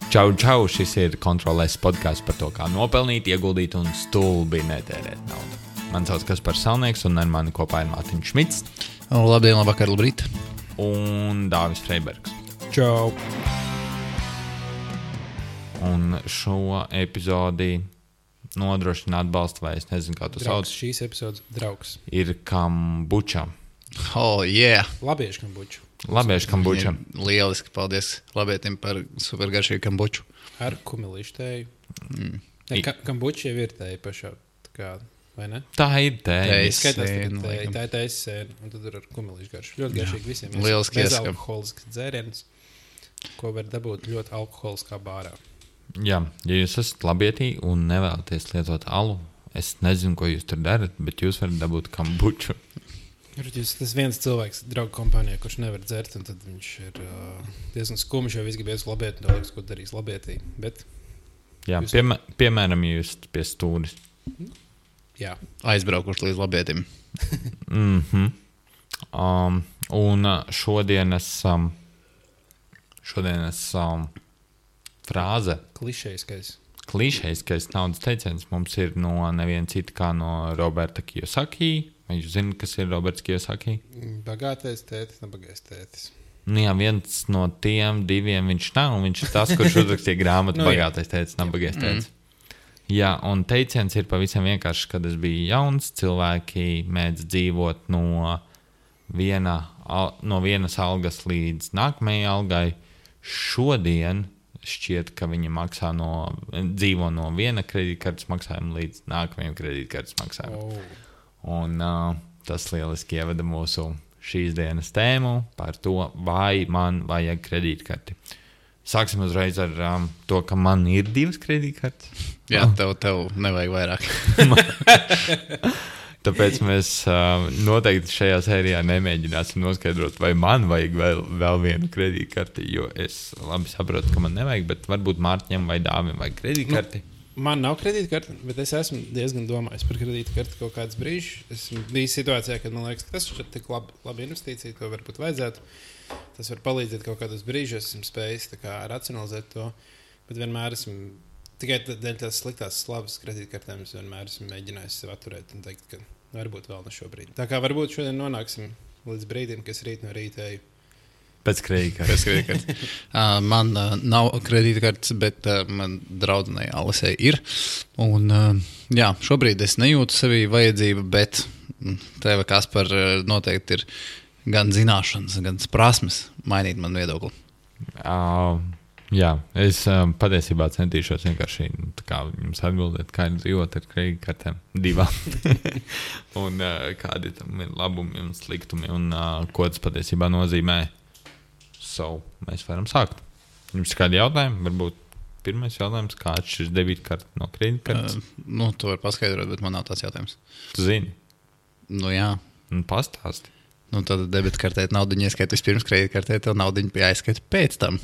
Čau, šis ir Kontrolēs podcasts par to, kā nopelnīt, ieguldīt un stulbi netērēt naudu. Man sauc Kaspars Salnieks un ar mani kopā ir Mārtiņš Šmits. Labdien, labvakar, labrīt. Un Dāvis Freibergs. Čau. Un šo epizodi nodrošina atbalstu, vai es nezinu, kā tu sauc. Šīs epizodes draugs. Ir kambuča. Oh, yeah. Labiešu kambuču. Labiešu kambuča. Lieliski, paldies labietim par supergaršīgu kambuču. Ar kumelīšu tēju. Kambuča jau ir tēja pašā, tā kā, vai ne? Tā ir tēja. Skatās tikai tā ir tējas sēna, un tad ir ar kumelīšu garšu. Ļoti garšīgi visiem. Lieliski ieskam. Bezalkoholisks dzēriens, ko var dabūt ļoti alkoholiskā bārā. Jā, ja jūs esat labietī un nevēlaties lietot alu, es nezinu, ko jūs tur darat, bet jūs varat dabūt kambuču. Tas viens cilvēks draugu kompānijā, kurš nevar dzert, un tad viņš ir diezgan skumjš, jo viss gribēs labiet, un tā liekas, ko darīs labietī. Bet, jā, piemēram, jūs pie stūris. Jā. Aizbraukuši līdz labietim. Un šodienas frāze. Klišejiskais naudas teiciens mums ir no neviena cita kā no Roberta Kiyosaki. Vai jūs zināt, kas ir Roberts Kiyosaki? Bagātais tētis, nebagais tētis. Nu jā, viens no tiem diviem viņš nav, un viņš ir tas, kurš uzrakstīja grāmatu Bagātais tētis, nebagais tētis. Jā, un teiciens ir pavisam vienkārši, kad es biju jauns, cilvēki mēdz dzīvot no vienas algas līdz nākamajai algai. Šodien šķiet, ka viņi dzīvo no viena kredītkartes maksājuma līdz nākamajam kredītkartes maksājumam. Un tas lieliski ievada mūsu šīs dienas tēmu par to, vai man vajag kredītkarti. Sāksim uzreiz ar to, ka man ir 2 kredītkartes. Jā, tev nevajag vairāk. Tāpēc mēs noteikti šajā sērijā nemēģināsim noskaidrot, vai man vajag vēl vienu kredītkarti, jo es labi saprotu, ka man nevajag, bet varbūt Mārtiņam vai Dāvim vajag kredītkarti. Man nav kredītkarti, bet es esmu diezgan domājis par kredītkarti kaut kādus brīžus. Esmu bijis situācijā, kad man liekas, ka tas ir tik laba investīcija, to varbūt vajadzētu. Tas var palīdzēt kaut kādos brīžos, esmu spējis racionalizēt to, bet vienmēr esmu, tikai dēļ tās sliktās slavas kredītkartēm, es vienmēr esmu mēģinājis sev atturēt un teikt, ka varbūt vēl ne šobrīd. Tā kā varbūt šodien nonāksim līdz brīdim, kas rīt no rīta eju. Pēc kredītkartes. Man nav kredītkartes, bet man draudzenei Alisei ir. Un, jā, šobrīd es nejūtu sevī vajadzību, bet tev, Kaspar, noteikti ir gan zināšanas, gan prasmes mainīt man viedokli. Jā, es patiesībā centīšos vienkārši jums atbildēt, kā ir dzīvot ar kredītkartēm 2. Un kādi tam ir labumi un sliktumi un ko tas patiesībā nozīmē. Mēs varam sākt. Jums ir kādi jautājumi? Varbūt pirmais jautājums, kā atšķiras debītkarte no kredītkartes? Tu vari paskaidrot, bet man nav tāds jautājums. Tu zini? Nu jā. Pastāsti. Tad debitkartē naudiņu ieskaita vispirms, kredītkartē tev naudiņu jāieskaita pēc tam.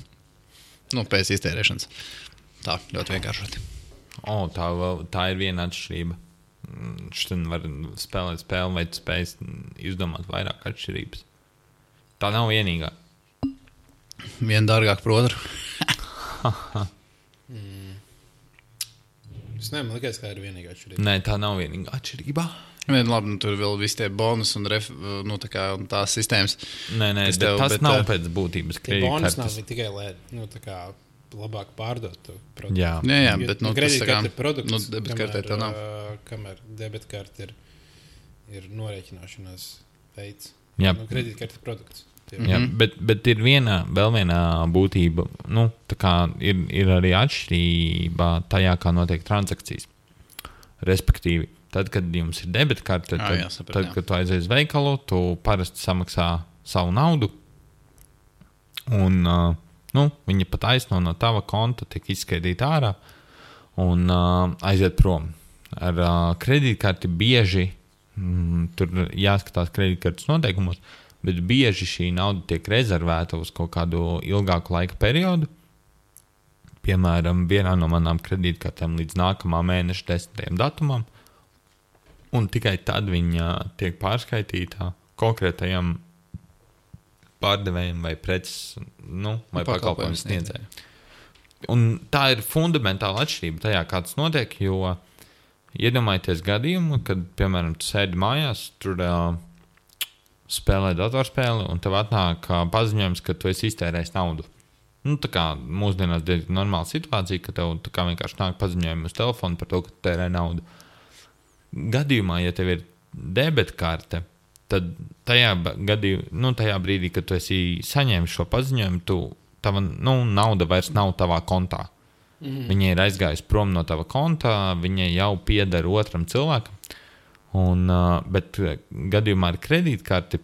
Pēc iztērēšanas. Tā, ļoti vienkāršoti. Tā ir viena atšķirība. Šodien var spēlēt spēli, vai tu spēj izdomāt vairāk atšķirības. Tā nav vienīgā. Viena dārgāk par otru. Es man liekas, ka ir vienīgā atšķirība. Nē, tā nav vienīgā atšķirība. Labi, tur vēl visi tie bonus un un tās sistēmas. Nē, tas nav pēc būtības kredītkartes. Bonus nav tikai, lai labāk pārdot to produktu. Jā, bet kredītkarte ir produkts, debitkartē tā nav. Kamēr debitkarte ir norēķināšanās veids. Jā. Kredītkarte ir produkts. Jā, bet ir vēl viena būtība, ir arī atšķirība tajā, kā notiek transakcijas. Respektīvi, tad, kad jums ir debitkarte, tad, kad tu aizies veikalu, tu parasti samaksā savu naudu, un viņa pat aizno no tava konta tiek izskaidīta ārā un aiziet prom. Ar kredītkarti bieži, tur jāskatās kredītkartes noteikumos, bet bieži šī nauda tiek rezervēta uz kaut kādu ilgāku laika periodu. Piemēram, vienā no manām kredītkartēm līdz nākamā mēneša 10. datumam. Un tikai tad viņa tiek pārskaitīta konkrētajam pārdevējiem vai preces, vai pakalpojumu sniedzējiem. un tā ir fundamentāla atšķirība tajā, kā tas notiek, jo iedomājieties gadījumu, kad, piemēram, tu sēdi mājās, tur spēlē datorspēli, un tev atnāk paziņojums, ka tu esi iztērējis naudu. Nu, tā kā mūsdienās diezgan normāla situācija, ka tev tā kā vienkārši nāk paziņojumi uz telefonu par to, ka tu tērē naudu. Gadījumā, ja tev ir debetkarte, tad tajā brīdī, kad tu esi saņēmis šo paziņojumu, tava nauda vairs nav tavā kontā. Viņa ir aizgājusi prom no tava kontā, viņa jau pieder otram cilvēkam. Bet gadījumā ar kredītkarti,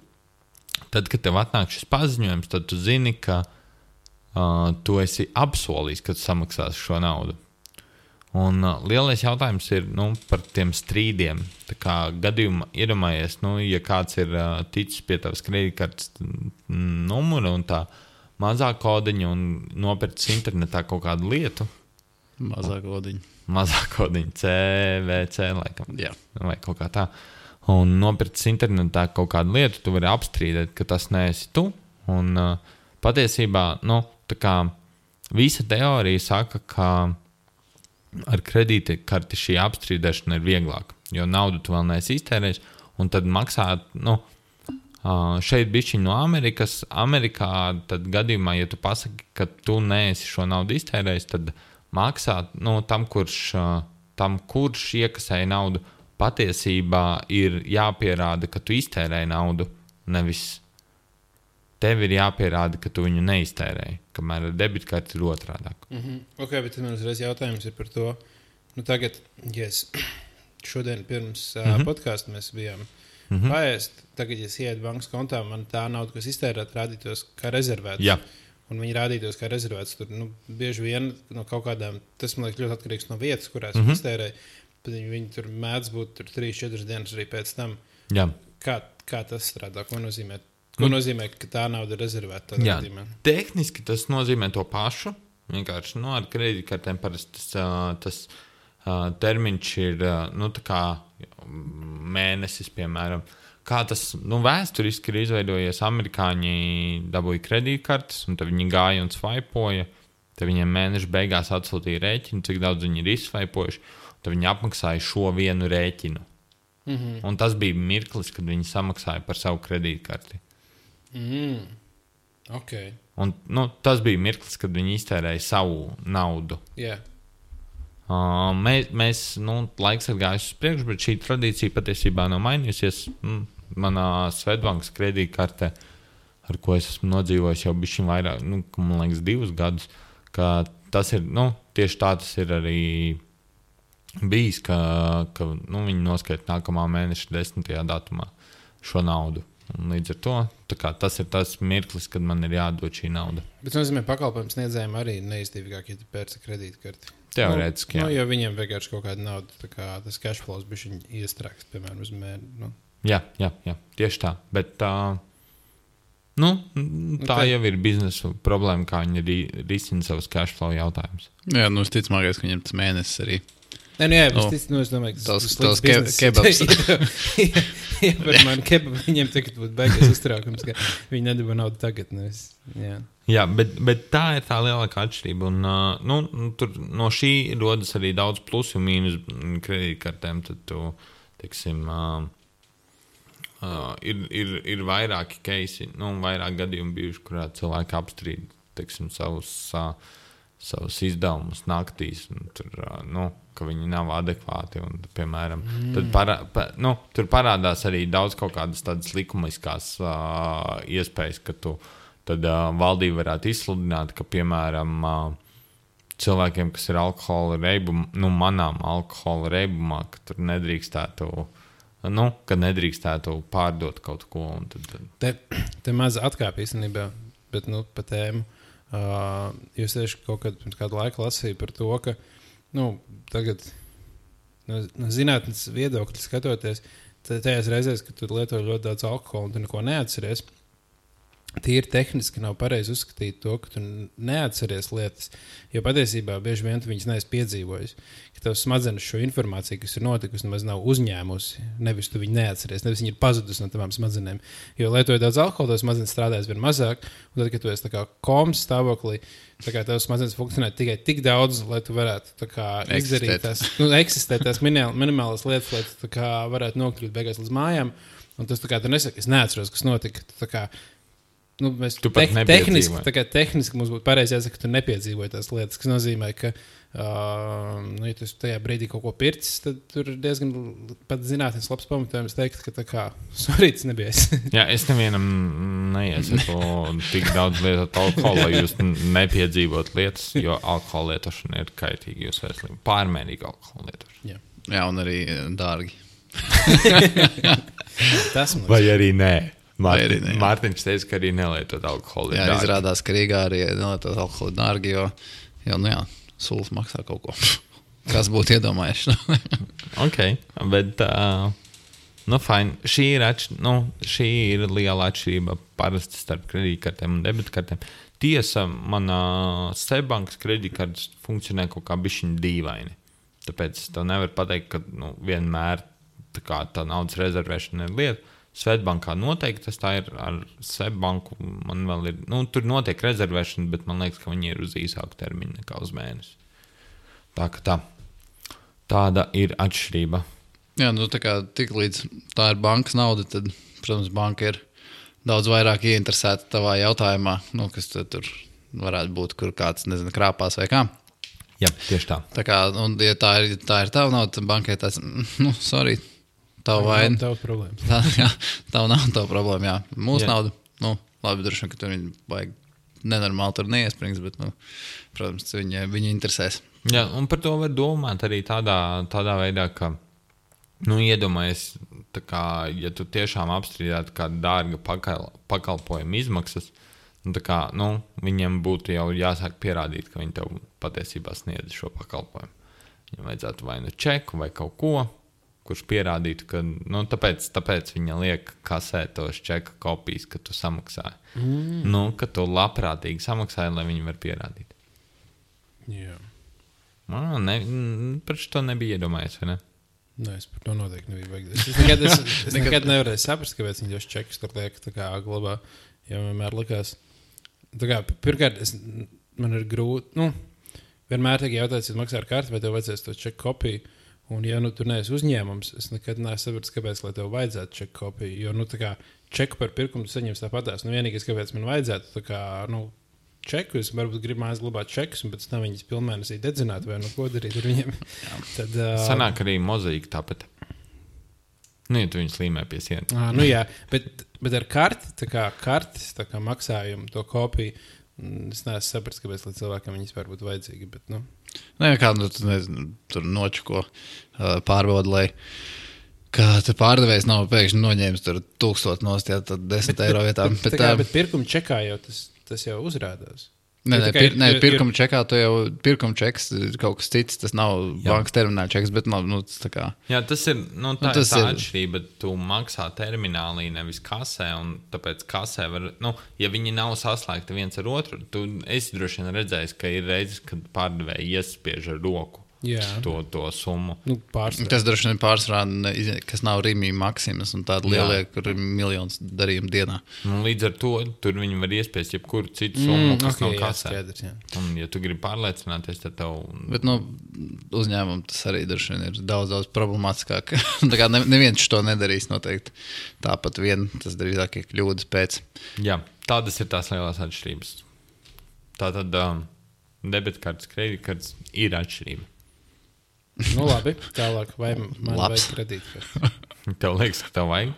tad, kad tev atnāk šis paziņojums, tad tu zini, ka tu esi apsolījis, ka tu samaksāsi šo naudu. Un lielais jautājums ir par tiem strīdiem. Tā kā gadījumā iedomājies, ja kāds ir ticis pie tavas kredītkartes numura un tā mazā kodiņa un nopircis internetā kaut kādu lietu. Mazā kodiņa, CVC laikam. Jā. Vai kaut kā tā. Un nopircis internetā kaut kādu lietu, tu vari apstrīdēt, ka tas neesi tu. Un patiesībā, tā kā visa teorija saka, ka ar kredītkarti šī apstrīdēšana ir vieglāka, jo naudu tu vēl neesi iztērējis, un tad maksāt, šeit bišķiņ no Amerikas. Amerikā tad gadījumā, ja tu pasaki, ka tu neesi šo naudu iztērējis, tad maksāt tam, kurš iekasēja naudu, patiesībā ir jāpierāda, ka tu iztērēji naudu, nevis tev ir jāpierāda, ka tu viņu neiztērēji, kamēr ar debitkarti ir otrādāk. Ok, bet tad man uzreiz jautājums ir par to, tagad, šodien pirms podkāsta mēs bijām paēst, tagad, ja es ietu bankas kontā, man tā nauda, kas iztērēt, rādītos kā rezervēts. Jā. Un viņi rādītos kā rezervēts. Tur bieži vien no kaut kādām, tas man liekas ļoti atkarīgs no vietas, kurās iztērēja, tad viņi tur mēdz būt 3-4 dienas arī pēc tam. Jā. Kā tas strādā? Ko nozīmē, ka tā nauda ir rezervēta? Jā, tehniski tas nozīmē to pašu. Vienkārši ar kredītkartēm parasti tas termiņš ir tā kā mēnesis, piemēram. Kā tas vēsturiski ir izveidojies, amerikāņi dabūja kredītkartes, un tad viņi gāja un svaipoja. Tad viņiem mēneša beigās atsūtīja rēķinu, cik daudz viņi ir izsvaipojuši. Tad viņi apmaksāja šo vienu rēķinu. Un tas bija mirklis, kad viņi samaksāja par savu kredītkarti. Okay. Un, tas bija mirklis, kad viņi iztērēja savu naudu. Yeah. Mēs laiks ir gājis uz priekšu, bet šī tradīcija patiesībā nav mainījusies. Manā Svetbankas kredītkartē, ar ko es esmu nodzīvojis jau bišķiņ vairāk, man liekas 2 gadus, ka tas ir, tieši tā tas ir arī bijis, ka viņi noskaita nākamā mēneša 10. datumā šo naudu. Un līdz ar to tas ir tas mirklis, kad man ir jādod šī nauda. Bet tas nozīmē, pakalpojums sniedzējiem arī neizdevīgāk, ja tu pērci kredītkarti. Teorētiski, jā. Jo viņiem vienkārši kaut kāda nauda, tā kā tas cash flows bišķiņ iestrāks, piemēram, uz mēri. Jā, tieši tā. Bet tā jau ir biznesa problēma, kā viņi risina savus cash flow jautājumus. Jā, visticamākais, ka viņiem tas mēnesis arī. Es domāju, ka tas kebabs. Ja par mani kebabu viņiem tagad būtu beigas uztraukums, ka viņi nedabā naudu tagad. Jā, bet tā ir tā lielākā atšķirība. Un, tur no šī rodas arī daudz plusu un mīnus kredītkartēm. Tad tu, teiksim, ir vairāki keisi, vairāk gadījumi bijuši, kurā cilvēki apstrīd, teiksim, savus izdevumus naktīs, un tur, ka viņi nav adekvāti. Un, piemēram, tad tur parādās arī daudz kaut kādas tādas likumiskās iespējas, ka tad valdība varētu izsludināt, ka, piemēram, cilvēkiem, kas ir alkohola reibumā, manām alkohola reibumā, ka tur nedrīkstētu, kad nedrīkstētu pārdot kaut ko. Un tad... Te maz atkāp īstenībā, bet pa tēmu. Jūs tieši kaut kādu laiku lasīju par to, ka tagad no zinātnes viedokļa skatoties, tajās reizēs, kad tu lieto ļoti daudz alkohola un tu neko neatceries, tīri tehniski nav pareizi uzskatīt to, ka tu neatceries lietas, jo patiesībā bieži vien tu viņas neesi piedzīvojis. Ka tavs smadzenes šo informāciju, kas ir notikusi, nemaz nav uzņēmusi, nevis tu viņu neatceries, nevis viņa ir pazudusi no tavām smadzenēm. Jo lietojot daudz alkohola, tavs smadzenes strādājas vien mazāk, un tad, kad tu esi tā kā komas stāvoklī, tā kā tavs smadzenes funkcionē tikai tik daudz, lai tu varētu tā kā izdarīt tās, eksistēt tās minimālas lietas, lai tu tā kā varētu nokļūt beigās līdz mājām, un tas tā kā tu nesaki, es neatceros, kas notika, tu tā kā mēs tehniski mums būtu pareizi jāsaka, ka tu nepiedzīvoji tās lietas, kas nozīmē, ka, ja tu tajā brīdī kaut ko pircis, tad tur ir diezgan pat zinātnes labs pamatojums teikt, ka tā kā svarīts nebija es. Jā, es nevienam neiesaku tik daudz lietot alkoholu, lai jūs nepiedzīvot lietas, jo alkohola lietošana ir kaitīga jūsu veselībai. Pārmērīga alkohola lietošana. Jā, un arī dārgi. Vai arī nē. Mārtiņš teica, ka arī nelietot alkoholu. Jā, izrādās, ka Rīgā arī nelietot alkoholu dārgi, jo sulas maksā kaut ko. Kas būtu iedomājies? Ok, bet, fine. Šī ir liela atšķirība parasti starp kredītkartēm un debitkartēm. Tiesa, manā Seibankas kredītkartes funkcionē kaut kā bišķiņ dīvaini. Tāpēc es tev nevaru pateikt, ka vienmēr tā naudas rezervēšana ir lieta. Svetbankā noteikti tas tā ir ar Svetbanku. Man vēl ir, tur notiek rezervēšana, bet man liekas, ka viņi ir uz īsāku termiņu nekā uz mēnesi. Tāda ir atšķirība. Jā, tā kā tik līdz tā ir bankas nauda, tad, protams, banka ir daudz vairāk ieinteresēta tavā jautājumā, kas tur varētu būt, kur kāds, krāpās vai kā. Jā, tieši tā. Tā kā, un ja tā ir tava nauda, tad bankai tāds, sorry, tavu vainu. Tā nav tava problēma. Tā nav tava problēma, jā. Mūsu nauda, labi, droši vien, ka tur viņi vajag nenormāli tur neiesprings, bet, protams, viņi interesēs. Jā, un par to var domāt arī tādā veidā, ka, iedomājies, tā kā, ja tu tiešām apstrīdētu kādu dārga pakalpojumu izmaksas, tā kā, viņiem būtu jau jāsāk pierādīt, ka viņi tev patiesībā sniedz šo pakalpojumu. Viņam vajadzētu vai čeku vai kaut ko, kurš pierādītu, ka, tāpēc viņa liek kasē tos čeka kopijas, ka tu samaksāji. Ka tu labprātīgi samaksāji, lai viņi var pierādīt. Jā. Par šo nebija iedomājies, vai ne? Nē, es par to noteikti nebiju vajag. Es nekad nevarēju saprast, kāpēc viņi tos čekus tur liek tā kā glabā, jo vienmēr likās. Tā kā, pirmkārt, man ir grūti, vienmēr tiek jautāts, ja maksā ar karti, vai tev vajadzēs to čeku kopiju. Un, ja tur neesi uzņēmums, es nekad neesmu sapratis, kāpēc, lai tev vajadzētu čeku kopiju. Jo, tā kā čeku par pirkumu saņems tāpatās. Vienīgais, kāpēc man vajadzētu, tā kā, čeku, es varbūt gribu mājās glabāt čekus, un pēc tam viņas pilnmēnesī dedzināt, vai ko darīt ar viņiem. Tad, sanāk arī mozaīka tāpat. Ja tu viņus līmē pie sienas. Jā, bet ar karti, tā kā maksājumu, to kopiju, es neesmu sapratis, kāpēc, lai cilvēkam viņas var būt vajadzīgi, bet, tur nočuko pārbauda, lai kā te pārdevējs nav pēkšņi noņēmis tur 1000 nost, ja tad 10 eiro vietā. Bet pirkuma čekā jau tas jau uzrādās. Pirkuma čekā tu jau pirkuma čeks kaut kas cits, tas nav bankas termināla čeks, bet tas tā kā. Jā, tas ir, tā ir tā atšķirība, tu maksā terminālī, nevis kasē, un tāpēc kasē var, ja viņi nav saslēgti viens ar otru, esi droši vien redzējis, ka ir reizes, kad pārdevēji iespiež ar roku. To summu. Tas droši vien pārsvarā, kas nav Rīmī Maksimas un tāda lielie, kur ir miljonus darījumu dienā. Līdz ar to tur viņi var iespiest jebkuru citu summu, kas nav kasē. Un, ja tu gribi pārliecināties, tad tev. Bet uzņēmumu tas arī droši vien ir daudz problemātiskāk. Tā kā neviens to nedarīs noteikti. Tāpat tas drīzāk ir kļūdas pēc. Jā, tādas ir tās lielās atšķirības. Tātad debitkartes, kredītkartes ir atšķirība. Labi, tālāk, vai man vajag kredītkartes? Tev liekas, ka tev vajag?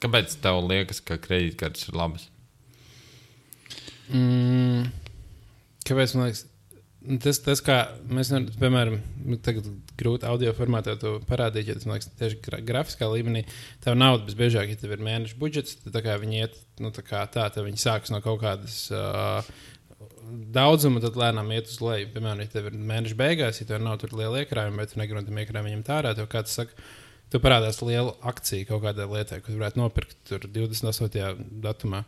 Kāpēc tev liekas, ka kredītkartes ir labas? Kāpēc man liekas? Tas kā mēs, piemēram, tagad grūti audio formātā to parādīt, ja tas, man liekas, tieši grafiskā līmenī, tev nauda visbiežāk, ja tev ir mēneša budžets, tad tā kā viņi iet, tad viņi sākas no kaut kādas daudzumu, tad lēnām iet uz leju. Piemēram, ja tev ir mēneša beigās, ja tev nav tur liela iekrājuma, vai tu negribi no tiem iekrājumiem ņemt ārā, tev kāds saka, tu parādās liela akcija kaut kādai lietai, ko tu varētu nopirkt tur 28. datumā.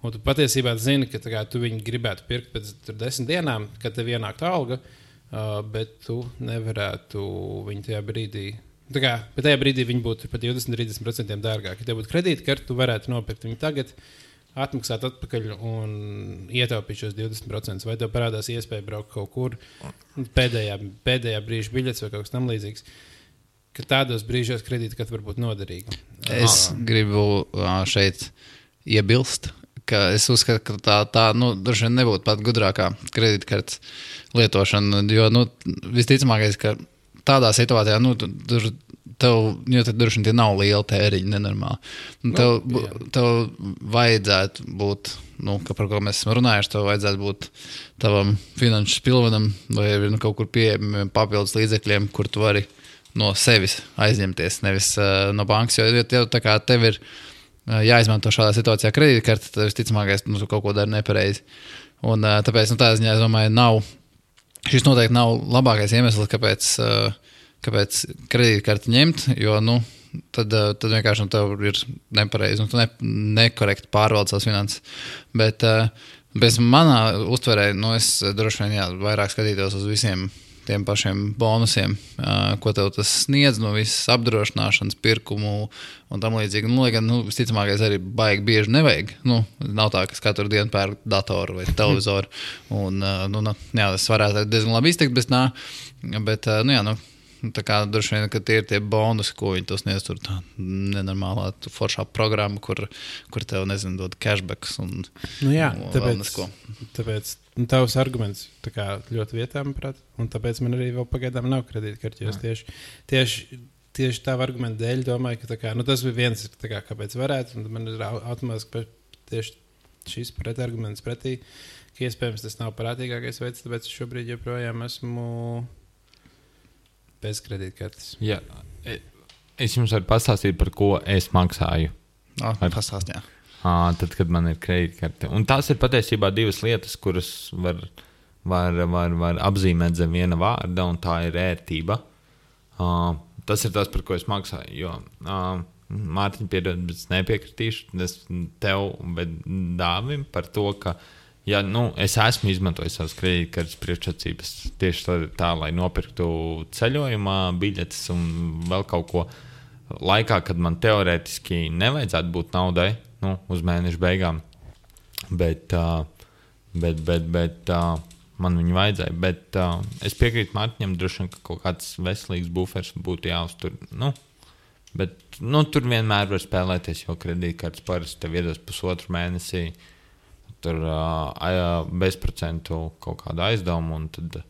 Un tu patiesībā zini, ka tu viņu gribētu pirkt pēc 10 dienām, kad tev ienāktu alga, bet tu nevarētu viņu tajā brīdī. Bet tajā brīdī viņi būtu pat 20-30% dārgāki. Ja tev būtu kredītkarte, tu varētu nopirkt viņu tagad, atmaksāt atpakaļ un ietaupīt šos 20%. Vai tev parādās iespēja braukt kaut kur pēdējā brīža biļets vai kaut kas tam līdzīgs. Ka tādos brīžos kredītkarte var būt noderīga. Es gribu šeit iebilst, ka es uzskatu, ka tā droši vien nebūtu pat gudrākā kredītkartes lietošana, jo, visticamākais, ka tādā situācijā, tev droši vien nav liela tēriņa, nenormāli. Tev vajadzētu būt, ka par ko mēs esam runājuši, tev vajadzētu būt tavam finanšu spilvenam vai kaut kur pieejamiem papildus līdzekļiem, kur tu vari no sevis aizņemties, nevis no bankas, jo tev ir jāizmanto šādā situācijā kredītkarte, tad visticamākais, tu kaut ko dari nepareizi. Un tāpēc, tā ziņā, es domāju, šis noteikti nav labākais iemesls, kāpēc kredītkarti ņemt, jo, tad vienkārši tev ir nepareizi, tu nekorekti pārvaldi savas finanses. Bet bez manā uztverē, es droši vien vairāk skatītos uz visiem tiem pašiem bonusiem, ko tev tas sniedz no visas apdrošināšanas, pirkumu un tam līdzīgi. Lai gan, visticamākais arī baigi bieži nevajag. Nav tā, ka katru dienu pērk datoru vai televizoru. Un, tas varētu diezgan labi izteikt, bet tā kā droši vien, ka tie ir tie bonusi, ko viņi tos sniedz tur tā nenormālā foršā programma, kur tev, dod cashbacks un tāpēc tavs arguments ļoti vietā, manuprāt, un tāpēc man arī vēl pagaidām nav kredītkarte, jo tieši tā argumenta dēļ domāju, ka tas bija viens, kāpēc varētu, un man ir automātiski tieši šis pretarguments pretī, ka iespējams tas nav prātīgākais veids, tāpēc šobrīd joprojām esmu bez kredītkartes. Jā, es jums varu pastāstīt, par ko es maksāju. Pastāst, jā. Tad, kad man ir kredītkarte. Un tās ir patiesībā divas lietas, kuras var apzīmēt zem viena vārda, un tā ir ērtība. Tas ir tas, par ko es maksāju. Jo, Mārtiņ, piedod, bet es nepiekritīšu tev, bet Dāvim par to, ka es esmu izmantojis savas kredītkartes priekšrocības tieši tā, lai nopirktu ceļojumā biļetes un vēl kaut ko laikā, kad man teorētiski nevajadzētu būt naudai, uz mēneša beigām, bet man viņu vajadzēja. Bet es piekrītu Mārtiņam, droši vien, ka kaut kāds veselīgs bufers būtu jāuztur. Bet tur vienmēr var spēlēties, jo kredītkartes parasti tev iedos pusotru mēnesī, tur bezprocentu kaut kādu aizdevumu, un tad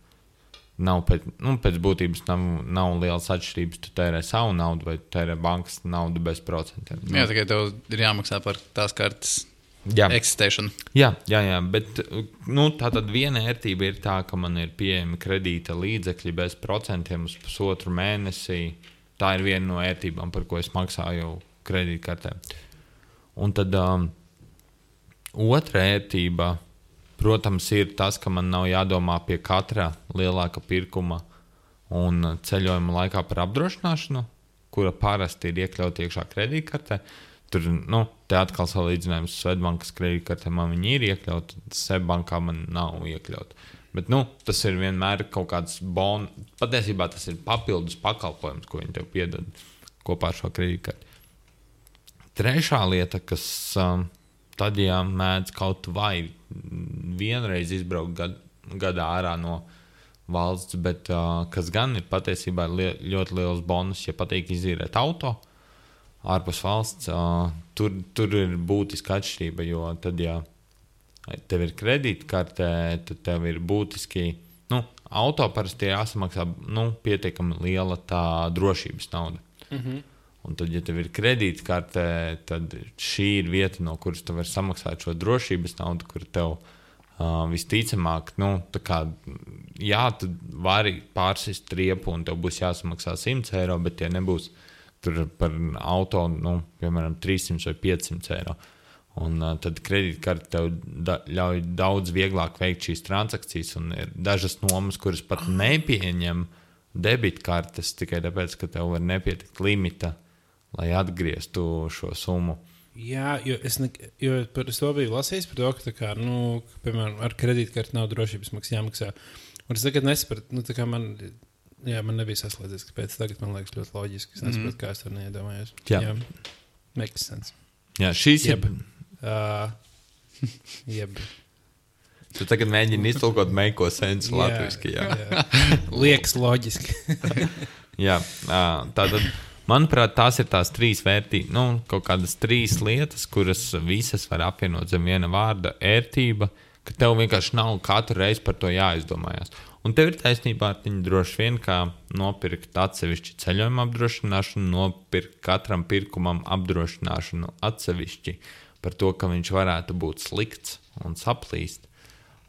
nav pēc būtības nav lielas atšķirības, tu tērē savu naudu vai tērē bankas naudu bez procentiem. Jā, tikai tev ir jāmaksā par tās kartes eksistēšanu. Jā, bet tā tad viena ērtība ir tā, ka man ir pieejami kredīta līdzekļi bez procentiem uz pusotru mēnesī. Tā ir viena no ērtībām, par ko es maksāju kredītkartē. Un tad otra ērtība, protams, ir tas, ka man nav jādomā pie katra lielāka pirkuma un ceļojuma laikā par apdrošināšanu, kura parasti ir iekļauta iekšā kredītkartē. Tur, te atkal salīdzinājums Swedbankas kredītkartē man viņi ir iekļauti, Seibankā man nav iekļauti. Bet, tas ir vienmēr kaut kāds patiesībā tas ir papildus pakalpojums, ko viņi tev piedod kopā ar šo kredītkarti. Trešā lieta, kas tad, ja mēdz kaut vai vienreiz izbraukt gadā ārā no valsts, bet kas gan ir patiesībā ļoti liels bonus, ja patīk izīrēt auto ārpus valsts, tur ir būtiska atšķirība, jo tad, ja tev ir kredītkarte, tad tev ir būtiski, auto parasti jāsamaksā, pietiekami liela tā drošības nauda. Mhm. Un tad, ja tev ir kredītkarte, tad šī ir vieta, no kuras tu vari samaksāt šo drošības naudu, kur tev visticamāk, tu vari pārsist riepu un tev būs jāsamaksā 100 eiro, bet tie nebūs tur par auto, piemēram, 300 vai 500 eiro. Un tad kredītkarte tev ļauj daudz vieglāk veikt šīs transakcijas, un ir dažas nomas, kuras pat nepieņem debitkartes tikai tāpēc, ka tev var nepietikt limita, lai atgrieztu šo summu. Jā, jo es par to biju lasījis, par to, ka, tā kā, piemēram, ar kredītkarti nav drošības maksas jāmaksā. Un es tagad nesapratu, tā kā man nebija saslēdzies, kāpēc tagad man liekas ļoti loģiski. Es nesapratu, kā es to neiedomājos. Jā. Makes sense. Jā, šīs Jeb. Jeb. Tu tagad mēģini iztulkot meiko sensu latviski, jā. Liekas loģiski. Jā, tātad, manuprāt, tās ir tās trīs kaut kādas trīs lietas, kuras visas var apvienot zem viena vārda - ērtība, ka tev vienkārši nav katru reizi par to jāizdomājās. Un tev ir taisnība, Artiņ, droši vien, kā nopirkt atsevišķi ceļojuma apdrošināšanu, nopirkt katram pirkumam apdrošināšanu atsevišķi par to, ka viņš varētu būt slikts un saplīst.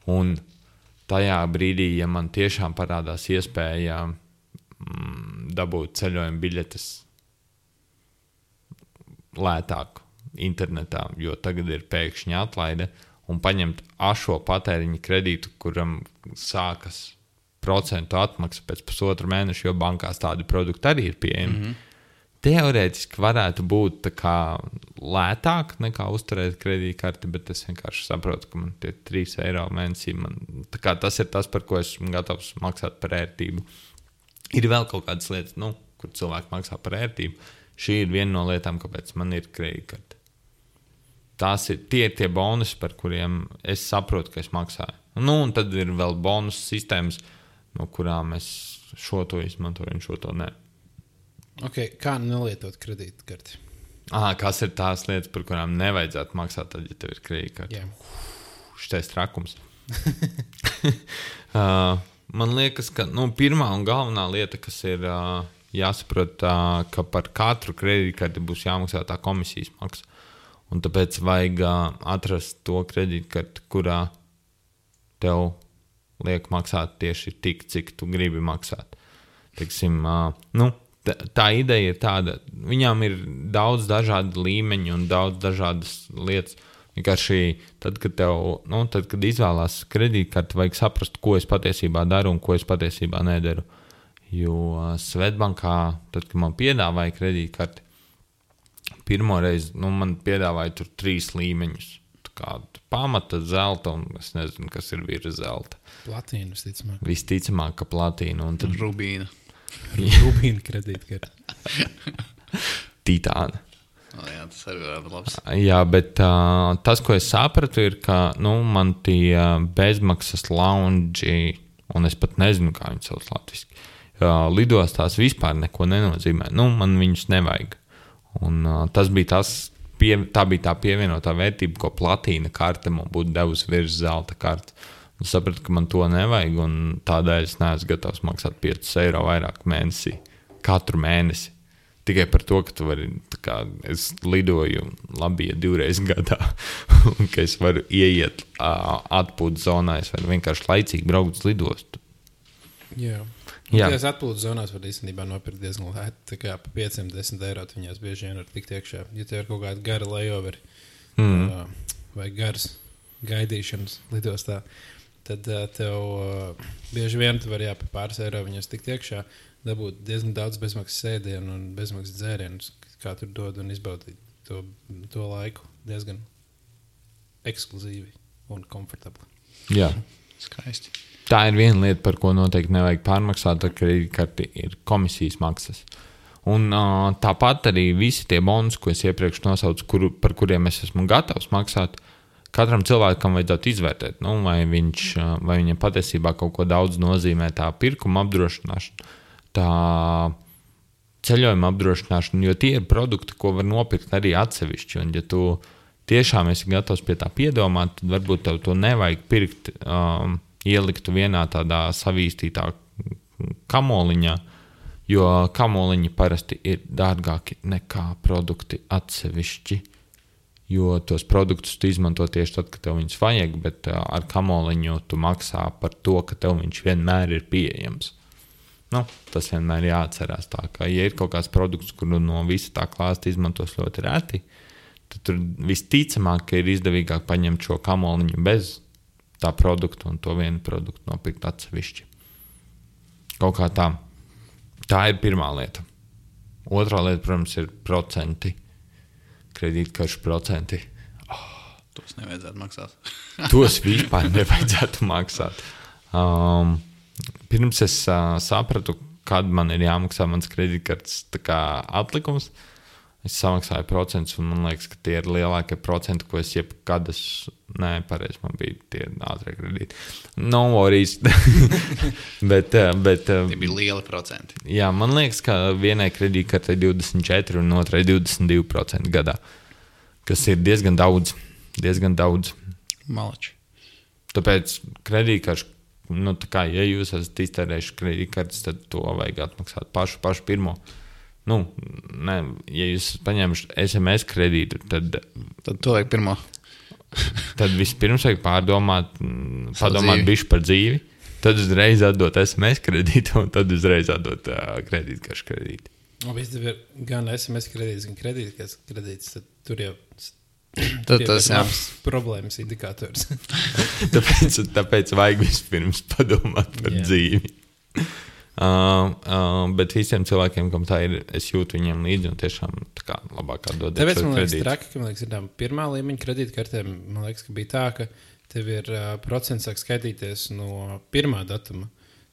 Un tajā brīdī, ja man tiešām parādās iespēja dabūt ceļojuma biļetes lētāk internetā, jo tagad ir pēkšņi atlaide, un paņemt ašo patēriņa kredītu, kuram sākas procentu atmaksa pēc pusotru mēnešu, jo bankās tādi produkti arī ir pieejami. Teorētiski varētu būt tā kā lētāk nekā uzturēt kredītkarti, bet es vienkārši saprotu, ka man tie 3 eiro mēnesī, tas ir tas, par ko esmu gatavs maksāt par ērtību. Ir vēl kaut kādas lietas, kur cilvēki maksā par ērtību. Šī ir viena no lietām, kāpēc man ir kredītkarte. Tie ir tie bonusi, par kuriem es saprotu, ka es maksāju. Un tad ir vēl bonus sistēmas, no kurām es šo to izmantoju un šo to nē. Okay, kā nelietot kredītkarti? Kas ir tās lietas, par kurām nevajadzētu maksāt, tad, ja tev ir kredītkarte? Šitais trakums. Man liekas, ka pirmā un galvenā lieta, kas ir jāsaprot, ka par katru kredītkarti būs jāmaksā tā komisijas maksa. Un tāpēc vajag atrast to kredītkarti, kurā tev liek maksāt tieši tik, cik tu gribi maksāt. Teiksim, tā ideja ir tāda, viņām ir daudz dažādu līmeņu un daudz dažādas lietas. Vienkārši tad, kad izvēlās kredītkarti, vajag saprast, ko es patiesībā daru un ko es patiesībā nedaru. Jo Svetbankā, tad, kad man piedāvāja kredītkarti, pirmoreiz man piedāvāja tur 3 līmeņus. Pamata, zelta un es nezinu, kas ir virs zelta. Platīna, visticamāk. Visticamāk, ka platīna. Un tad Rubīna. Rubīna kredītkarti. Titāna. Jā, tas arī varētu būt labs. Jā, bet tas, ko es sapratu, ir, ka man tie bezmaksas loungi, un es pat nezinu, kā viņi sauc latviski, lidostās vispār neko nenozīmē. Man viņus nevajag. Un tā bija tā pievienotā vērtība, ko platīna karte man būtu devusi virs zelta kartes. Es sapratu, ka man to nevajag, un tādēļ es neesmu gatavs maksāt 5 eiro vairāk mēnesī, katru mēnesi. Tikai par to, ka tu vari, es lidoju labi, ja 2 reizes gadā, un ka es varu ieiet atpūtas zonā, es varu vienkārši laicīgi braukt uz lidostu. Jā. Tās atpūtas zonās var īstenībā nopirkt diezgan lēti, tā kā pa 5-10 eiro viņās bieži vien var tikt iekšā. Ja tev ir kaut kāda gara layoveri vai garas gaidīšanas lidostā, tad tev bieži vien tu vari pa pāris eiro viņās tikt iekšā, dabūt diezgan daudz bezmaksas sēdienu un bezmaksas dzērienus, kā tur dod un izbaudīt to laiku diezgan ekskluzīvi un komfortabli. Jā. Skaisti. Tā ir viena lieta, par ko noteikti nevajag pārmaksāt, ar kredītkarti ir komisijas maksas. Un tāpat arī visi tie bonusi, ko es iepriekš nosaucu, par kuriem es esmu gatavs maksāt, katram cilvēkam vajadzētu izvērtēt, vai viņam patiesībā kaut ko daudz nozīmē tā pirkuma apdrošināšana, tā ceļojuma apdrošināšana, jo tie ir produkti, ko var nopirkt arī atsevišķi. Un ja tu tiešām esi gatavs pie tā piedomāt, tad varbūt tev to nevajag pirkt, ieliktu vienā tādā savīstītā kamoliņā, jo kamoliņi parasti ir dārgāki nekā produkti atsevišķi, jo tos produktus tu izmanto tieši tad, kad tev viņus vajag, bet ar kamoliņu tu maksā par to, ka tev viņš vienmēr ir pieejams. Tas vienmēr jāatcerās tā, ka ja ir kaut kāds produkts, kuru no visa tā klāsta izmantos ļoti reti, tad tur visticamāk, ka ir izdevīgāk paņemt šo kamoliņu bez tā produktu un to vienu produktu nopirkt atsevišķi. Kaut kā tā. Tā ir pirmā lieta. Otrā lieta, protams, ir procenti. kredītkaršu procenti. Tos nevajadzētu maksāt. Tos vispār nevajadzētu maksāt. Pirms es sapratu, kad man ir jāmaksā mans kredītkartes atlikums, es samaksāju procentus, un man liekas, ka tie ir lielākie procenti, ko es jebkad pareizi, man bija tie ātrie kredīti. No worries. bet Tie bija lieli procenti. Jā, man liekas, ka vienai kredītkartei 24 un otrai 22% gadā, kas ir diezgan daudz. Malači. Tāpēc kredītkaršu, ja jūs esat iztērējuši kredītkartes, tad to vajag atmaksāt pašu pirmo. Ja jūs paņēmuši SMS kredītu, tad to vajag pirmo. Tad vispirms vajag padomāt bišķi par dzīvi, tad uzreiz atdot SMS kredītu, un tad uzreiz atdot kredītkaršu kredītu. Viss ir gan SMS kredīts, gan kredīts, tad tur jau tas ir problēmas indikators. tāpēc vajag vispirms padomāt par dzīvi. Bet visiem cilvēkiem, kam tā ir, es jūtu viņiem līdzi un tiešām labāk atdot. Tāpēc man liekas traki, ka ir tā pirmā līmeņa kredītkartēm, man liekas, ka bija tā, ka tev ir procents sāk skaitīties no pirmā datuma,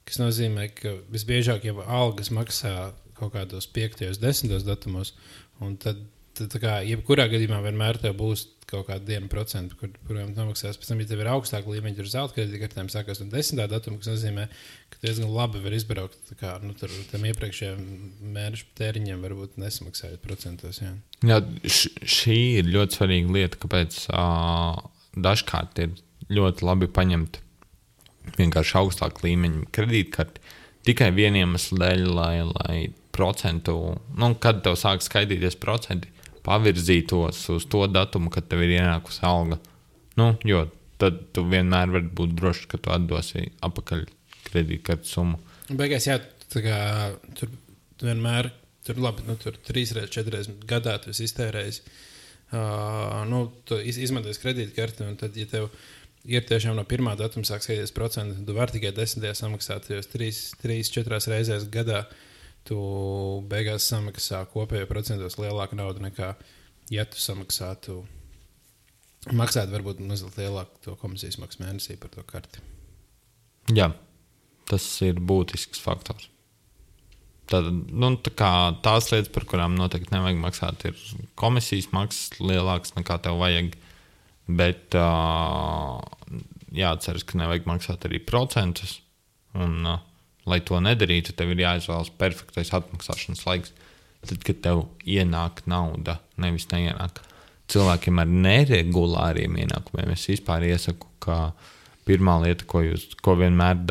kas nozīmē, ka visbiežāk jau algas maksā kaut kādos 5. 10. datumos, un tad jebkurā gadījumā vienmēr tev būs kaut kāda 1%, kuriem nomaksās. Pēc tam, ja tev ir augstāka līmeņa, tur zelta kredītkartēm sākās no 10. datuma, kas nozīmē, ka diezgan labi var izbraukt tur tam iepriekšējiem mēnešu tēriņiem varbūt nesamaksājot procentos. Jā, šī ir ļoti svarīga lieta, kāpēc dažkārt ir ļoti labi paņemt vienkārši augstāku līmeņu kredītkarti tikai vieniem dēļ, lai procentu, kad tev sāk skaitīties procenti, pavirzītos uz to datumu, kad tev ir ienākusi alga. Jo tad tu vienmēr vari būt drošs, ka tu atdosi apakaļ kredītkartes summu. Beigās, jā, tur vienmēr, tur 3 reizes, 4 reizes gadā tu esi iztērējis, tu izmantojies kredītkarti, un tad, ja tev ir tiešām no pirmā datuma sāk skaitīties procenti, tu vari tikai 10. samaksāt, jo 3-4 reizēs gadā tu beigās samaksā kopējo procentos lielāku naudu nekā, ja tu maksātu varbūt mazliet lielāku to komisijas maksu mēnesī par to karti. Jā, tas ir būtisks faktors. Tad, tās lietas, par kurām noteikti nevajag maksāt, ir komisijas maksas lielākas nekā tev vajag, bet jāatceras, ka nevajag maksāt arī procentus, un lai to nedarītu, tev ir jāizvēlas perfektais atmaksāšanas laiks. Tad, kad tev ienāk nauda, nevis neienāk. Cilvēkiem ar neregulāriem ienākumiem es vispār iesaku, ka pirmā lieta, ko vienmēr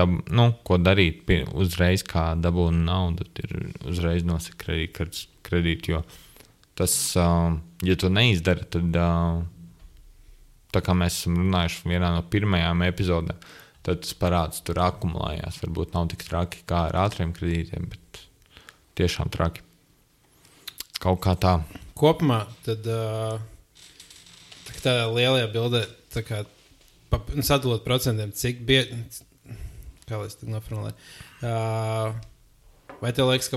ko darīt uzreiz, kā dabūna naudu, ir uzreiz nosaka kredītkartes kredītu, jo tas, ja to neizdara, tad tā kā mēs esam runājuši vienā no pirmajām epizodēm, tad tas parāds tur akumulējās. Varbūt nav tik traki kā ar ātriem kredītiem, bet tiešām traki. Kaut kā tā. Kopumā tad tā lielajā bildē sadalot procentiem, cik kā lai es tā noformulēju, vai tev liekas, ka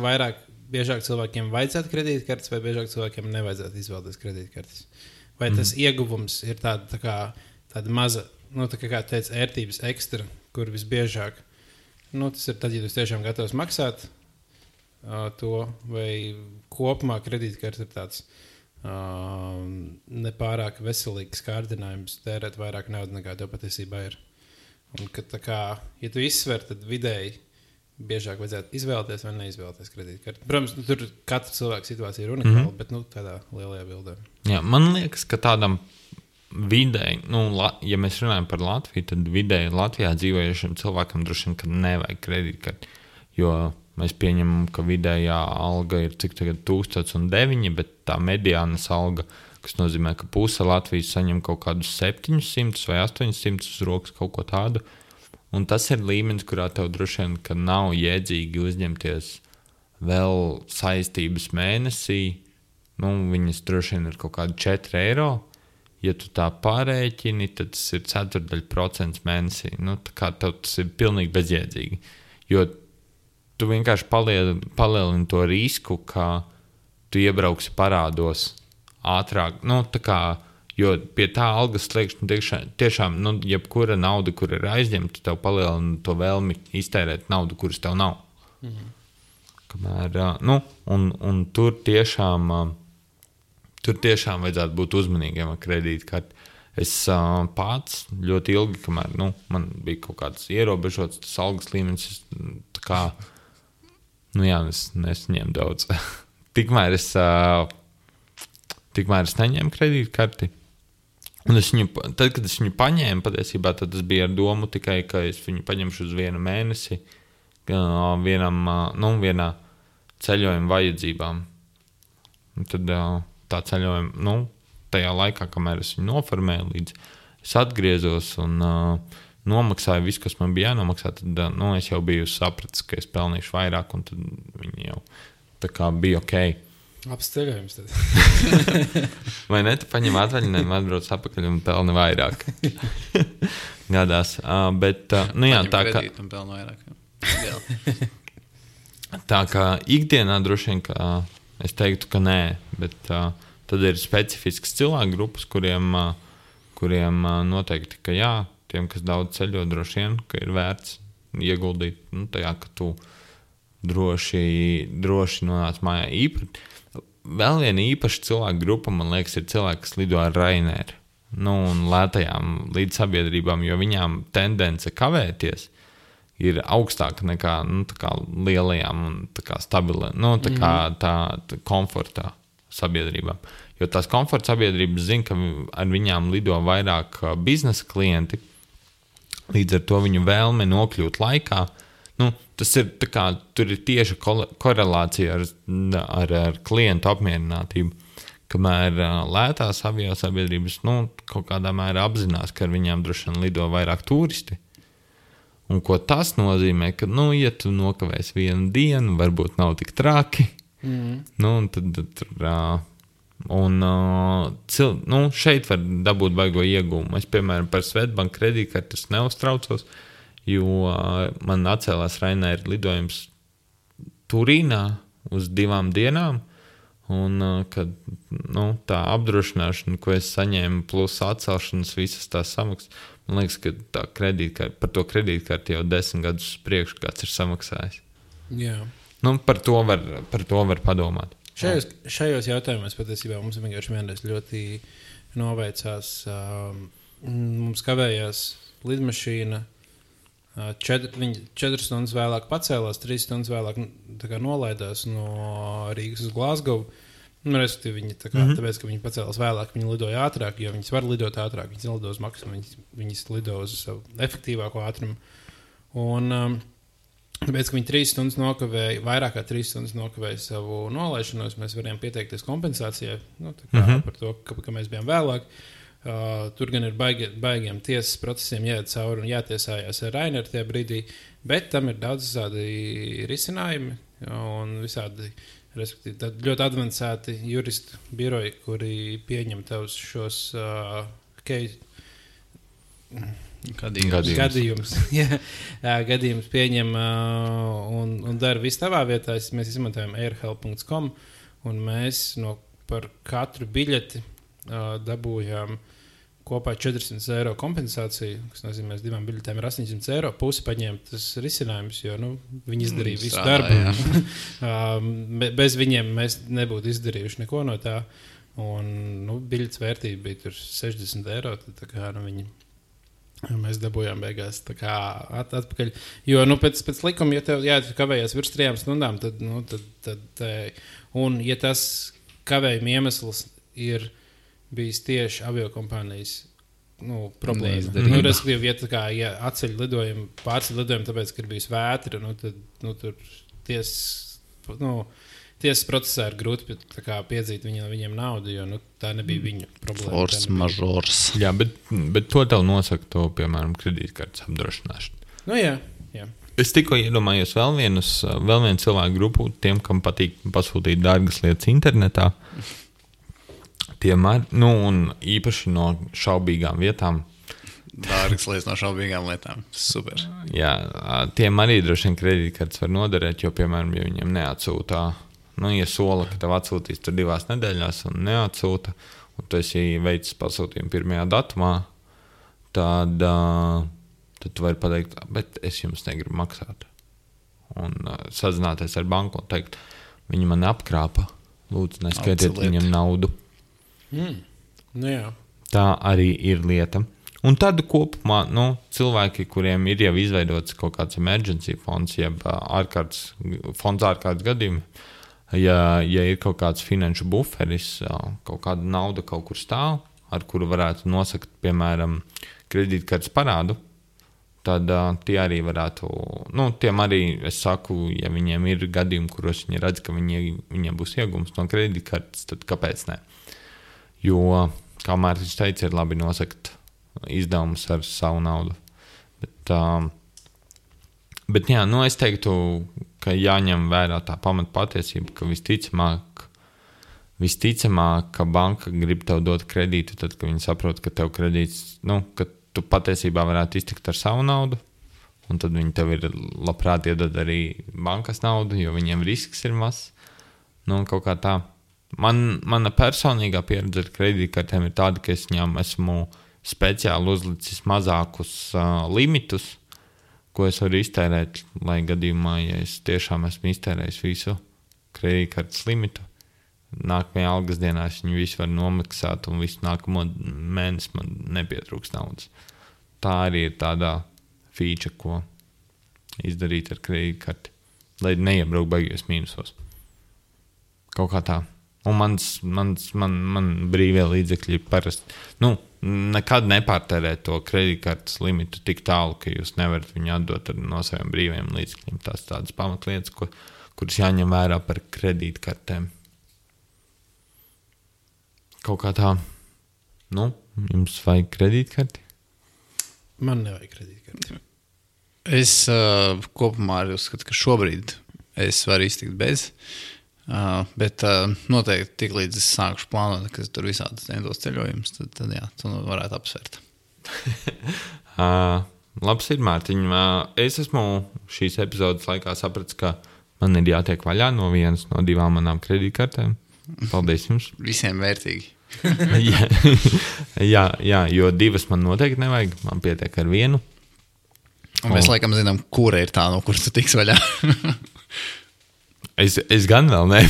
biežāk cilvēkiem vajadzētu kredītkartes vai biežāk cilvēkiem nevajadzētu izvēlēties kredītkartes? Vai tas ieguvums ir tāda maza, kā teica, ērtības ekstra, kur visbiežāk, tas ir tad, ja tu tiešām gatavs maksāt to, vai kopumā kredītkartes ir tāds nepārāk veselīgs kārdinājums tērēt vairāk naudas nekā tev patiesībā ir. Un, ja tu izsver, tad vidēji biežāk vajadzētu izvēlēties vai neizvēlēties kredītkarti. Protams, tur katra cilvēka situācija ir unikāla, bet tādā lielajā bildē. Jā, man liekas, ka tādam vidēji, ja mēs runājam par Latviju, tad vidēji Latvijā dzīvojušiem cilvēkam droši vien, ka nevajag kredītkarti, jo mēs pieņemam, ka vidējā alga ir cik tagad 1009, bet tā mediānas alga, kas nozīmē, ka puse Latvijas saņem kaut kādus 700 vai 800 uz rokas, kaut ko tādu. Un tas ir līmenis, kurā tev droši vien, ka nav jēdzīgi uzņemties vēl saistības mēnesī. Viņas droši vien ir kaut kādi 4 eiro. Ja tu tā pārēķini, tad tas ir 0,4% mēnesī. Tā kā tev tas ir pilnīgi bezjēdzīgi. Jo tu vienkārši palielini to risku, ka tu iebrauksi parādos ātrāk, nu, tā kā, jo pie tā algas sliekšņa tiešām, nu, jebkura nauda, kur ir aizņemta, tev palielina to vēlmi iztērēt naudu, kuras tev nav. Kamēr, nu, un tur tiešām vajadzētu būt uzmanīgiem ar kredītkarti. Es pats ļoti ilgi, kamēr, nu, man bija kaut kāds ierobežots tas algas līmenis, tā kā, nu jā, es nesaņēmu daudz. Tikmēr es neņēmu kredītkarti. Un tad, kad es viņu paņēmu, patiesībā, tad tas bija ar domu tikai, ka es viņu paņemšu uz 1 mēnesi vienā ceļojuma vajadzībām. Un tad tā ceļojuma, nu, tajā laikā, kamēr es viņu noformēju, līdz es atgriezos un nomaksāju visu, kas man bija jānomaksā, tad nu, es jau biju sapratis, ka es pelnīšu vairāk, un tad viņi jau tā kā bija ok. Apsteļojums tad. Vai ne? Tu paņem atvaļinājumu, atbrauc atpakaļ un pelni vairāk. Gadās. Bet, nu jā, tā kā... Kredītu un pelni vairāk. Tā kā ikdienā droši vien, ka es teiktu, ka nē, bet tad ir specifisks cilvēku grupas, kuriem noteikti, ka jā, tiem, kas daudz ceļo, droši vien, ka ir vērts ieguldīt, nu, tajā, ka tu droši nonāc mājā. Vēl viena īpaša cilvēku grupa, man liekas, ir cilvēki, kas lido ar Raineru, nu, un lētajām līdzsabiedrībām, jo viņām tendence kavēties ir augstāka nekā, nu, tā kā lielajām un tā kā stabilē, nu, tā kā tā komfortā sabiedrībām. Jo tās komforta sabiedrības zina, ka ar viņām lido vairāk biznesa klienti, līdz ar to viņu vēlme nokļūt laikā. Nu, tas ir tā kā, tur ir tieši korelācija ar klientu apmierinātību, kamēr lētās aviosabiedrības, nu, kaut kādā mērā apzinās, ka ar viņām droši vien lido vairāk turisti. Un ko tas nozīmē, ka, nu, ja tu nokavēsi 1 dienu, varbūt nav tik traki, nu, un tad nu, šeit var dabūt baigo iegūmu. Es, piemēram, par Swedbank kredītkartes neuztraucos, jo man atcēlās Rainer lidojums Turīnā uz 2 dienām, un kad, nu, tā apdrošināšana, ko es saņēmu, plus atcelšanas visas tās samaksas, man liekas, ka tā par to kredītkarti jau 10 gadus priekš kāds ir samaksājis. Jā. Nu, par to var padomāt. Šajos jautājumos patiesībā mums vienkārši vienreiz ļoti noveicās. Mums kavējās lidmašīna, 4 stundas vēlāk pacēlās, 3 stundas vēlāk nolaidās no Rīgas uz Glasgow. Respektīvi, viņi tāpēc, ka viņi pacēlās vēlāk, viņi lidoja ātrāk, jo viņas var lidot ātrāk, viņas nelido uz maksimumu, viņas lido uz savu efektīvāko ātrumu. Un tāpēc, ka viņi 3 stundas nokavēja, vairāk kā 3 stundas nokavēja savu nolaišanos, mēs varējām pieteikties kompensācijai, nu, par to, ka mēs bijām vēlāk. Tur gan ir baigiem tiesas procesiem jāiet cauri un jātiesājās ar Raineru tajā brīdī, bet tam ir daudz visādi risinājumi un visādi, respektīvi, ļoti advancēti juristu biroji, kuri pieņem tavus šos gadījumus. Gadījumus pieņem un dara visu tavā vietā. Mēs izmantojam airhelp.com un mēs par katru biļeti dabūjām kopā 400 eiro kompensāciju, kas nozīmē, ka 2 biļetēm ir 800 eiro. Pusi paņēma tas risinājums, jo viņi izdarīja visu darbu. Bez viņiem mēs nebūtu izdarījuši neko no tā. Un biļetes vērtība bija tur 60 eiro. Tad, kā, mēs dabūjām beigās atpakaļ. Jo pēc likuma, ja tev kavējies virs 3 stundām, tad un ja tas kavējuma iemesls ir bijis tieši aviokompānijas problēma. Respektīvi, ja atceļ lidojumu, pārceļ lidojumu, tāpēc, ka ir bijis vētra, tad tur tiesas procesā ir grūti piedzīt viņiem naudu, jo tā nebija viņu problēma. Force majeures. Jā, bet to tev nosaka to, piemēram, kredītkartes apdrošināšanu. Nu jā. Es tikko iedomājos vēl vienu cilvēku grupu, tiem, kam patīk pasūtīt dārgas lietas internetā. Un īpaši no šaubīgām vietām. Dārgas lietas no šaubīgām lietām. Super. Jā, tiem arī droši vien kredītkartes var noderēt, jo, piemēram, ja viņiem neatsūtā ja sola, ka tev atsūtīs tur 2 nedēļās un neatsūta, un tu esi veicis pasūtījumu 1. datumā, tad tu vari pateikt, bet es jums negribu maksāt. Un sazināties ar banku un teikt, viņi man apkrāpa, lūdzu, neskaitiet viņam naudu. Nu jā. Tā arī ir lieta. Un tad kopumā cilvēki, kuriem ir jau izveidots kaut kāds emergency fonds, jeb fonds ārkārtas gadījumi, ja ir kaut kāds finanšu buferis, kaut kāda nauda kaut kur stāv, ar kuru varētu nosakt, piemēram, kredītkartes parādu, tad tie arī varētu, tiem arī, es saku, ja viņiem ir gadījumi, kuros viņi redz, ka viņiem būs iegums no kredītkartes, tad kāpēc ne? Jo, kā Mārtiņš teica, ir labi nosakt izdevumus ar savu naudu. Bet jā, es teiktu, ka jāņem vērā tā pamata patiesība, ka visticamāk, ka banka grib tev dot kredītu, tad, kad viņi saprot, ka tev kredīts, ka tu patiesībā varētu iztikt ar savu naudu, un tad viņi tev ir labprāt iedod arī bankas naudu, jo viņiem risks ir mazs. Kaut kā tā. Mana personīgā pieredze ar kredītkartēm ir tāda, ka es viņām esmu speciāli uzlicis mazākus limitus, ko es varu iztērēt, lai gadījumā, ja es tiešām esmu iztērējis visu kredītkartes limitu, nākamajā algas dienā es viņu visu varu nomaksāt un visu nākamo mēnesi man nepietrūks naudas. Tā arī ir tāda feature, ko izdarīt ar kredītkarti, lai neiebrauk baigies mīnusos. Kaut kā tā. Un man brīvie līdzekļi parasti, nekad nepārtērēt to kredītkartes limitu tik tālu, ka jūs nevarat viņu atdot no saviem brīviem līdzekļiem. Tās tādas pamatlietas, kuras jāņem vērā par kredītkartēm. Kaut kā tā, jums vajag kredītkarti? Man nevajag kredītkarti. Es kopumā arī uzskatu, ka šobrīd es varu iztikt bez. Bet noteikti tik līdz es sākušu plānot, ka tur visādas nedos ceļojumus, tad jā, tu varētu apsvērt. Labs ir, Mārtiņ. Es esmu šīs epizodes laikā sapratis, ka man ir jātiek vaļā no 1 no 2 manām kredītkartēm. Paldies jums. Visiem vērtīgi. jā, jo 2 man noteikti nevajag, man pietiek ar 1. Un mēs laikam zinām, kura ir tā, no kuras tu tiks vaļā. Es gan vēl ne,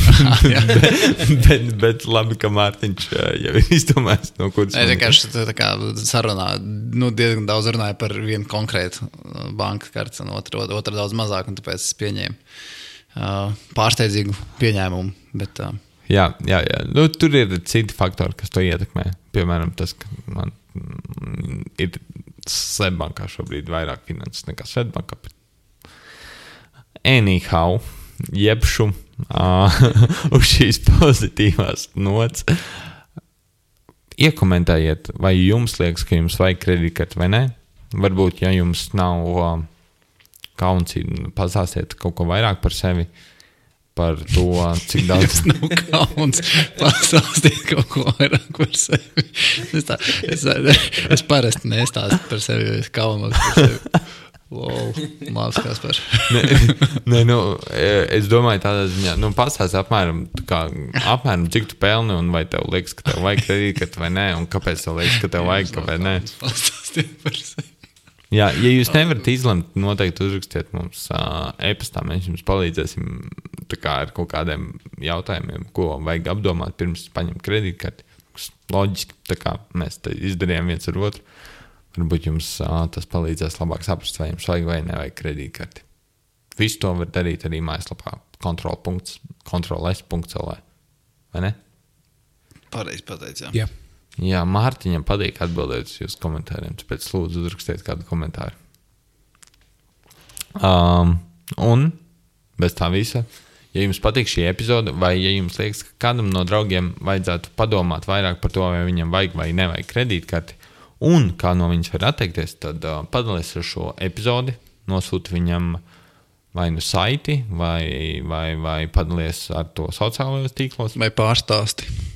bet labi, ka Mārtiņš jau ir izdomājis, no kuras. Es vienkārši tā kā sarunā, diezgan daudz runāju par vienu konkrētu bankas kartes, un otra daudz mazāk, un tāpēc es pieņēmu pārsteidzīgu pieņēmumu. Bet, Jā. Tur ir citi faktori, kas to ietekmē. Piemēram, tas, ka man ir Swedbankā šobrīd vairāk finanses nekā Swedbankā. Anyhow, jebšu uz šīs pozitīvās nots. Iekomentējiet, vai jums liekas, ka jums vajag kredītkarti vai ne. Varbūt, ja jums nav kauns, pastāstiet kaut ko vairāk par sevi, par to, cik daudz. Jums nav kauns, pastāstiet kaut ko vairāk par sevi. Es parasti nestāstu par sevi, jo es kaunos par sevi. Wow, labs Kaspar. Es domāju tādā ziņā, pastāsti apmēram cik tu pelni un vai tev liekas, ka tev vajag kredītkarti vai nē, un kāpēc tev liekas, ka tev vajag, kāpēc nē. Pastāstiet par sevi. Jā, ja jūs nevarat izlemt, noteikti uzrakstiet mums e-pastā, mēs jums palīdzēsim ar kaut kādiem jautājumiem, ko vajag apdomāt pirms paņemt kredītkarti. Loģiski, mēs izdarījām viens ar otru. Varbūt jums tas palīdzēs labāk saprast, vai jums vajag vai nevajag kredītkarti. Visu to var darīt arī mājaslapā kontrol.s.lv. Vai ne? Pareizi pateic, jā. Jā. Jā, Mārtiņam patīk atbildēt uz jūsu komentāriem, tāpēc lūdzu uzrakstiet kādu komentāru. Un bez tā visa, ja jums patīk šī epizode, vai ja jums liekas, ka kādam no draugiem vajadzētu padomāt vairāk par to, vai viņam vajag vai nevajag kredītkarti, un kā no viņas var atteikties, tad padalies ar šo epizodi, nosūti viņam vai nu saiti, vai padalies ar to sociālajos tīklos. Vai pārstāsti.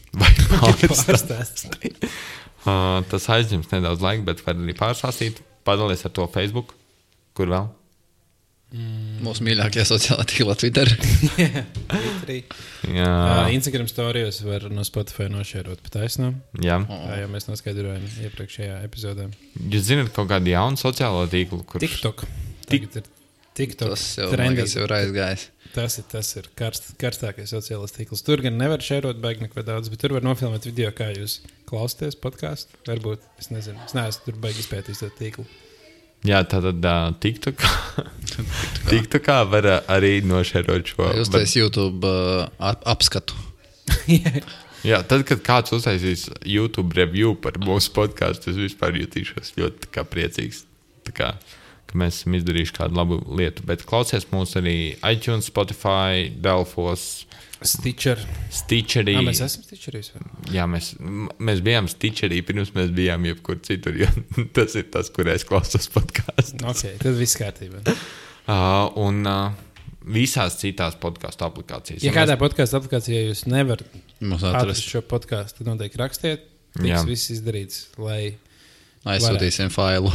Tas aizņems nedaudz laika, bet var arī pārstāstīt. Padalies ar to Facebook. Kur vēl? Mūsu mīļākie sociālā tīkla Twitter. Twitterī. Jā, Instagram storijos var no Spotify nošērot pa taisnām. jā. Tā jau mēs noskaidrojām iepriekšējā epizodē. Jūs zināt kaut kādu jaunu sociālo tīklu, kurš TikTok. Tagad ir TikTok. Tas jau, man liekas, jau ir aizgājis. Tas ir karstākais sociālais tīkls. Tur gan nevar šērot baigi neko daudz, bet tur var nofilmēt video, kā jūs klausāties podkāstu. Varbūt, es nezinu, es neesmu tur baigi izpētījis to tīklu. Jā, tātad TikTokā var arī nošērot šo. Jūs taisat YouTube apskatu. Jā, tad, kad kāds uztaisīs YouTube review par mūsu podkāstu, es vispār jutīšos ļoti priecīgs. Tā kā, ka mēs esam izdarījuši kādu labu lietu. Bet klausies mūs arī iTunes, Spotify, Delfos, Stitcherī. Mēs esam Stitcherīs. Jā, mēs bijām Stitcherī, pirms mēs bijām jebkur citur, jo tas ir tas, kur es klausos podkāstu. Ok, tad viss kārtībā. Un visās citās podkāstu aplikācijas. Ja kādā podkāstu aplikācijā jūs nevarat Mums atrast atrast. šo podkāstu, tad noteikti rakstiet. Jā. Tiks viss izdarīts, lai... Aizsūtīsim failu.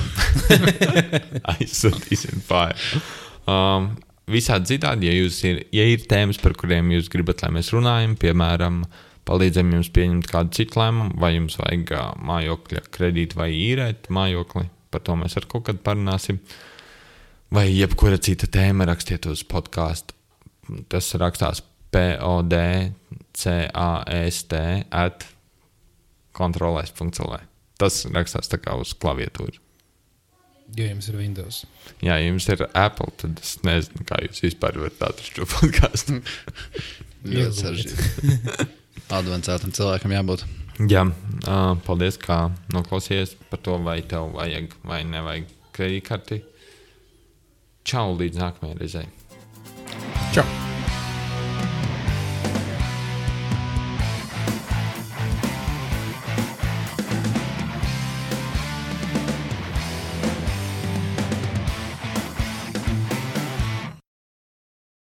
Aizsūtīsim failu. Visādi citādi, ja ir tēmas, par kuriem jūs gribat, lai mēs runājam, piemēram, palīdzam jums pieņemt kādu citu lēmumu, vai jums vajag mājokļa kredītu vai īrēt mājokli, par to mēs ar kaut kad parunāsim. Vai jebkura cita tēma rakstiet uz podkāstu. Tas rakstās podcast@kontrolēs.lv. Tas rakstās tā kā uz klaviatūru. Jo jums ir Windows. Jā, ja jums ir Apple, tad es nezinu, kā jūs vispār varat atrast šo podkāstu. Ļoti sarežģīti. Advancētam cilvēkam jābūt. Jā, paldies, kā noklausījies par to, vai tev vajag vai nevajag kredītkarti. Čau, līdz nākamajai reizei. Čau!